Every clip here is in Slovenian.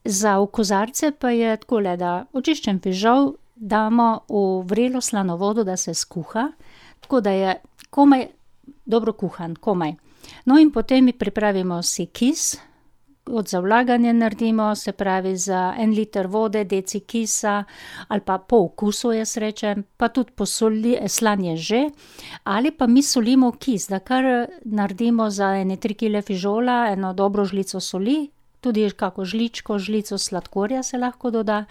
Za v kozarce pa je takole, da očiščen fižol damo v vrelo slano vodo, da se skuha, tako da je komaj dobro kuhan, komaj. No, in potem pripravimo si kis, od za vlaganje naredimo, se pravi za 1 liter vode, deci kisa ali pa po okusu, jaz rečem, pa tudi slanje že, ali pa mi solimo kis, da kar naredimo za ene 3 kile fižola, eno dobro žlico soli, tudi kako žlico sladkorja se lahko doda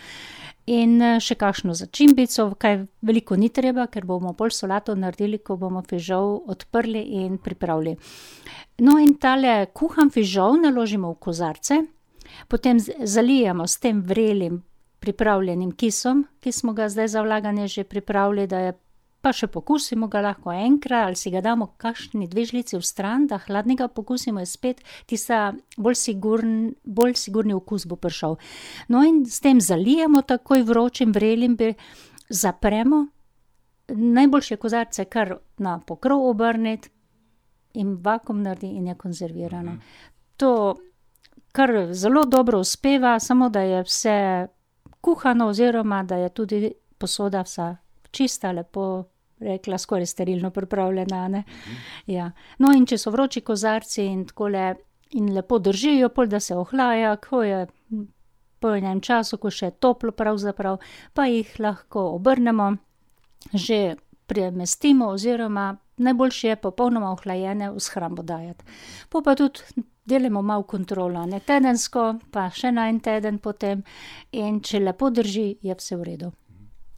in še kakšno začimbico, kaj veliko ni treba, ker bomo pol solato naredili, ko bomo fižol odprli in pripravili. No, in tale kuhan fižol naložimo v kozarce, potem zalijemo s tem vrelim pripravljenim kisom, ki smo ga zdaj za vlaganje že pripravili, da je, pa še pokusimo ga lahko enkrat, ali si ga damo kakšni 2 žlici vstran, da hladnega pokusimo, je spet tista bolj sigurni okus bo prišel. No, in s tem zalijemo takoj vročim vrelim, zapremo, najboljše kozarce kar na pokrov obrniti in vakuum naredi in je konzervirano. To kar zelo dobro uspeva, samo da je vse kuhano oziroma da je tudi posoda vsa čista, lepo rekla, skoraj sterilno pripravljena, ne. Ja. No, in če so vroči kozarci in takole in lepo držijo, pol da se ohlaja, ko je po enem času, ko še je toplo pravzaprav, pa jih lahko obrnemo, že premestimo oziroma najboljše je popolnoma ohlajene v shrambo dajati. Po pa tudi delamo malo kontrolo, ne, tedensko, pa še na en teden potem, in če lepo drži, je vse v redu.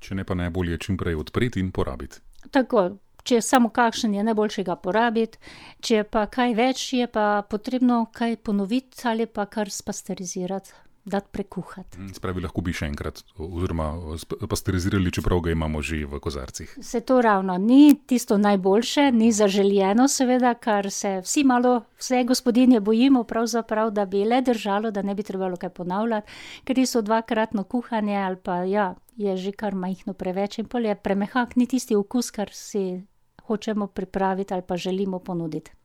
Če ne, pa najbolje čim prej odpreti in porabiti. Tako, če je samo kakšen, je najboljše ga porabiti, če je pa kaj več, je pa potrebno kaj ponoviti ali pa kar spasterizirati, dati prekuhati. Se pravi, lahko bi še enkrat oziroma pasterizirali, čeprav ga imamo že v kozarcih. Se to ravno ni tisto najboljše, ni zaželjeno seveda, kar se vse gospodinje bojimo pravzaprav, da bi le držalo, da ne bi trebalo kaj ponavljati, ker so dvakratno kuhanje ali pa ja, je že kar majhno preveč in pol je premehak, ni tisti okus, kar si hočemo pripraviti ali pa želimo ponuditi.